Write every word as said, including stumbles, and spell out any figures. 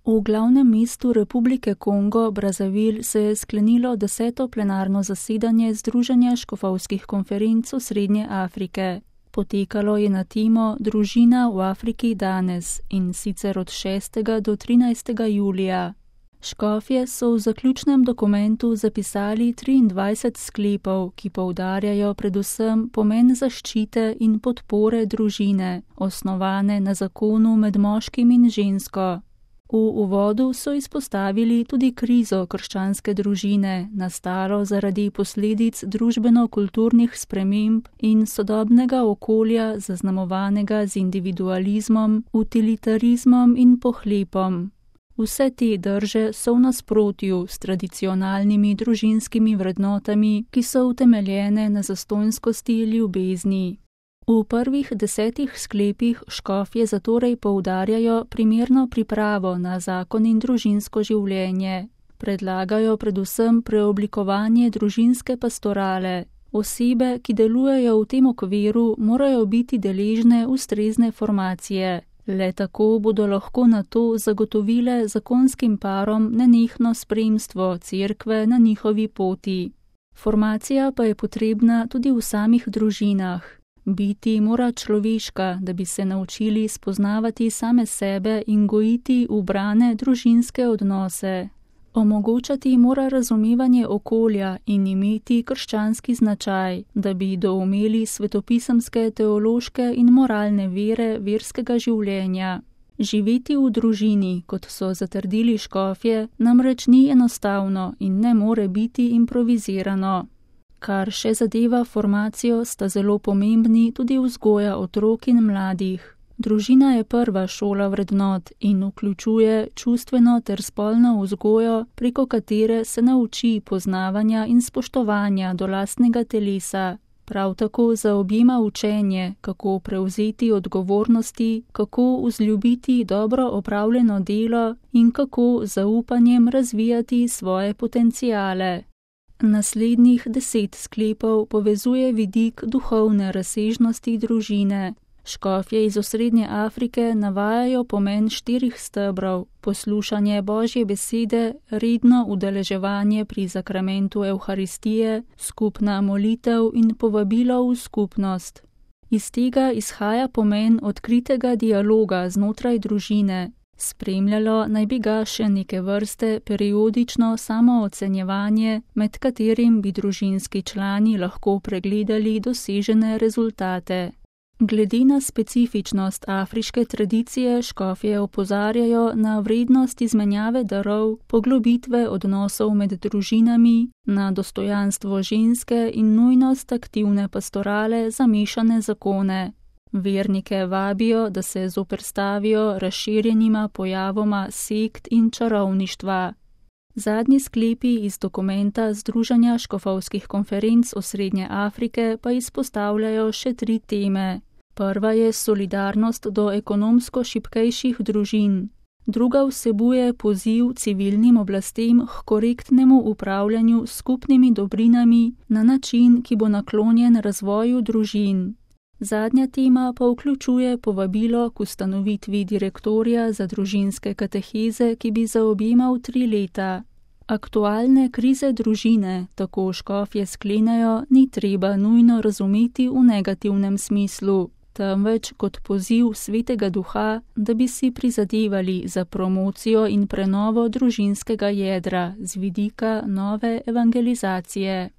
V glavnem mestu Republike Kongo, Brazzaville, se je sklenilo deseto plenarno zasedanje Združenja škofovskih konferenc Srednje Afrike. Potekalo je na temo Družina v Afriki danes, in sicer od šestega do trinajstega julija. Škofje so v zaključnem dokumentu zapisali triindvajset sklepov, ki poudarjajo predvsem pomen zaščite in podpore družine, osnovane na zakonu med moškim in žensko. V uvodu so izpostavili tudi krizo krščanske družine, nastalo zaradi posledic družbeno-kulturnih sprememb in sodobnega okolja, zaznamovanega z individualizmom, utilitarizmom in pohlepom. Vse te drže so v nasprotju s tradicionalnimi družinskimi vrednotami, ki so utemeljene na zastonjskosti ljubezni. V prvih desetih sklepih škofje zatorej poudarjajo primerno pripravo na zakon in družinsko življenje. Predlagajo predvsem preoblikovanje družinske pastorale. Osebe, ki delujejo v tem okviru, morajo biti deležne ustrezne formacije. Le tako bodo lahko na to zagotovile zakonskim parom nenehno spremstvo cerkve na njihovi poti. Formacija pa je potrebna tudi v samih družinah. Biti mora človeška, da bi se naučili spoznavati same sebe in gojiti ubrane družinske odnose. Omogočati mora razumevanje okolja in imeti krščanski značaj, da bi doumeli svetopisemske, teološke in moralne vere verskega življenja. Živeti v družini, kot so zatrdili škofje, namreč ni enostavno in ne more biti improvizirano. Kar še zadeva formacijo, sta zelo pomembni tudi vzgoja otrok in mladih. Družina je prva šola vrednot in vključuje čustveno ter spolno vzgojo, preko katere se nauči poznavanja in spoštovanja do lastnega telesa. Prav tako zaobjema učenje, kako prevzeti odgovornosti, kako vzljubiti dobro opravljeno delo in kako z zaupanjem razvijati svoje potenciale. Naslednjih deset sklepov povezuje vidik duhovne razsežnosti družine. Škofje iz Osrednje Afrike navajajo pomen štirih stebrov: poslušanje Božje besede, redno udeleževanje pri zakramentu Evharistije, skupna molitev in povabilo v skupnost. Iz tega izhaja pomen odkritega dialoga znotraj družine. Spremljalo naj bi ga še neke vrste periodično samoocenjevanje, med katerim bi družinski člani lahko pregledali dosežene rezultate. Glede na specifičnost afriške tradicije škofje opozarjajo na vrednost izmenjave darov, poglobitve odnosov med družinami, na dostojanstvo ženske in nujnost aktivne pastorale za mešane zakone. Vernike vabijo, da se zoperstavijo razširjenima pojavoma sekt in čarovništva. Zadnji sklepi iz dokumenta Združenja škofovskih konferenc Osrednje Afrike pa izpostavljajo še tri teme. Prva je solidarnost do ekonomsko šibkejših družin. Druga vsebuje poziv civilnim oblastem k korektnemu upravljanju s skupnimi dobrinami na način, ki bo naklonjen razvoju družin. Zadnja tema pa vključuje povabilo k ustanovitvi direktorja za družinske kateheze, ki bi zaobjemal tri leta. Aktualne krize družine, tako škofje sklenejo, ni treba nujno razumeti v negativnem smislu, temveč kot poziv Svetega Duha, da bi si prizadevali za promocijo in prenovo družinskega jedra z vidika nove evangelizacije.